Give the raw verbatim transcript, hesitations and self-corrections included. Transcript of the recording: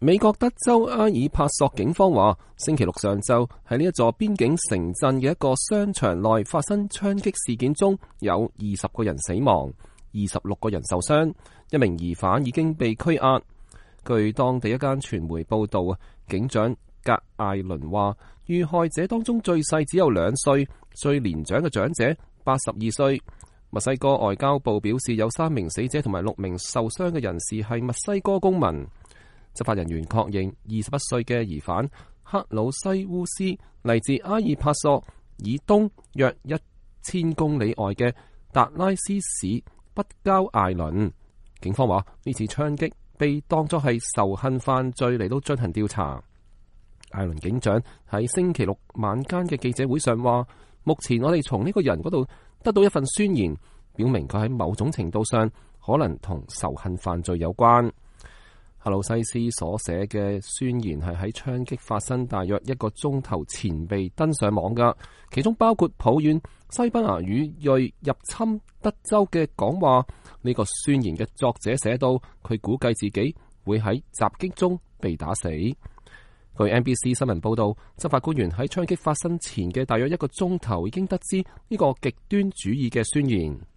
美國德州埃爾帕索警方話，星期六上晝喺呢一座邊境城鎮嘅一個商場內發生槍擊事件中，有二十個人死亡，二十六個人受傷，一名疑犯已經被拘押。據當地一間傳媒報道，警長格艾倫話，遇害者當中最細只有兩歲，最年長嘅長者八十二歲。墨西哥外交部表示，有三名死者同埋六名受傷嘅人士係墨西哥公民。執法人員確認，二十一歲嘅疑犯克魯西烏斯嚟自阿爾帕索以東約一千公里外嘅達拉斯市北郊艾倫。警方話，呢次槍擊被當作係仇恨犯罪嚟到進行調查。艾倫警長喺星期六晚間嘅記者會上話，目前我哋從呢個人嗰度得到一份宣言，表明佢喺某種程度上可能同仇恨犯罪有關。克魯西斯所寫嘅宣言係喺槍擊發生大約一個鐘頭前被登上網㗎，其中包括抱怨西班牙語裔入侵德州嘅講話。呢個宣言嘅作者寫到，佢估計自己會喺襲擊中被打死。據 N B C 新聞報道，執法官員喺槍擊發生前嘅大約一個鐘頭已經得知呢個極端主義嘅宣言。